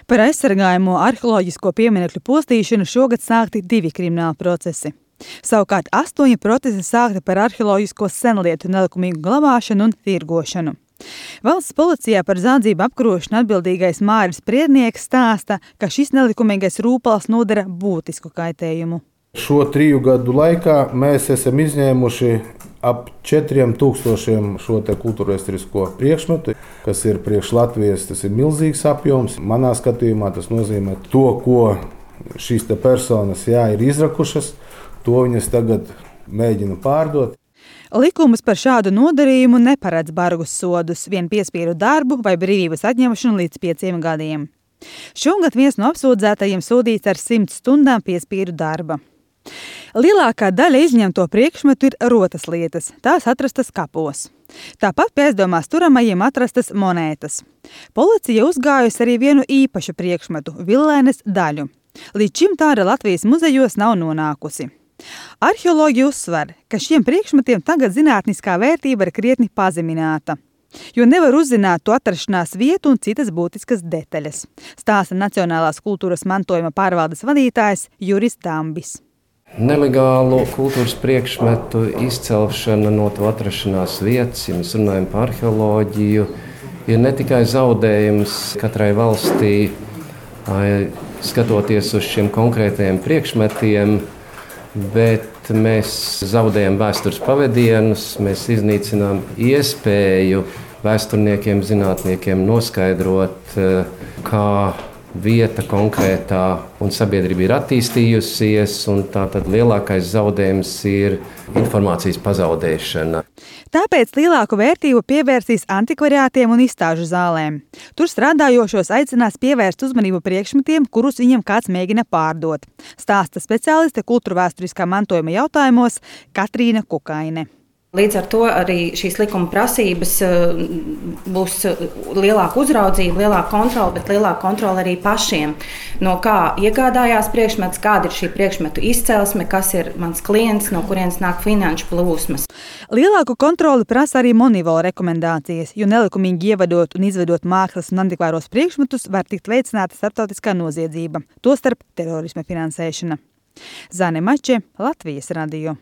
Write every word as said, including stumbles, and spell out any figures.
Par aizsargājamo arheoloģisko pieminekļu postīšanu šogad sākti divi krimināli procesi. Savukārt astoņi procesi sākti par arheoloģisko senlietu nelikumīgu glabāšanu un tirgošanu. Valsts policijā par zādzību apkarošanu atbildīgais Māris Priednieks stāsta, ka šis nelikumīgais rūpals nodara būtisku kaitējumu. Šo triju gadu laikā mēs esam izņēmuši ap četriem tūkstošiem šo te kultūrvēsturisko priekšmetu, kas ir priekš Latvijas, tas ir milzīgs apjoms. Manā skatījumā tas nozīmē to, ko šīs te personas jā, ir izrakušas, to viņas tagad mēģina pārdot. Likums par šādu nodarījumu neparedz bargus sodus, vien piespiedu darbu vai brīvības atņemšanu līdz pieciem gadiem. Šogad viens no apsūdzētajiem sodīts ar simts stundām piespiedu darba. Lielākā daļa izņemto priekšmetu ir rotas lietas, tās atrastas kapos. Tāpat pie aizdomās turamajiem atrastas monētas. Policija uzgājusi arī vienu īpašu priekšmetu – villēnes daļu. Līdz šim tāda Latvijas muzejos nav nonākusi. Arheologi uzsver, ka šiem priekšmetiem tagad zinātniskā vērtība ir krietni pazemināta, jo nevar uzzināt to atrašanās vietu un citas būtiskas detaļas, stāsta Nacionālās kultūras mantojuma pārvaldes vadītājs Juris Dambis. Nelegālu kultūras priekšmetu izcelšana no to atrašanās vietas, ja mēs runājam par arheoloģiju, ir ne tikai zaudējums katrai valstī, skatoties uz šiem konkrētajiem priekšmetiem, bet mēs zaudējam vēstures pavadienus, mēs iznīcinām iespēju vēsturniekiem, zinātniekiem noskaidrot, kā vieta konkrētā un sabiedrība ir attīstījusies, un tātad lielākais zaudējums ir informācijas pazaudēšana. Tāpēc lielāku vērtību pievērsīs antikvariātiem un izstāžu zālēm. Tur strādājošos aicinās pievērst uzmanību priekšmetiem, kurus viņam kāds mēģina pārdot, stāsta speciāliste kultūrvēsturiskā mantojuma jautājumos Katrīna Kukaine. Līdz ar to arī šīs likuma prasības būs lielāka uzraudzība, lielāka kontrola, bet lielāka kontrola arī pašiem. No kā iegādājās priekšmets, kāda ir šī priekšmetu izcelsme, kas ir mans klients, no kurienes nāk finanšu plūsmas. Lielāku kontroli prasa arī Monivola rekomendācijas, jo nelikumīgi ievedot un izvedot mākslas un antikvāros priekšmetus var tikt veicināta starptautiskā noziedzība, tostarp terorisma finansēšana. Zane Mače, Latvijas radio.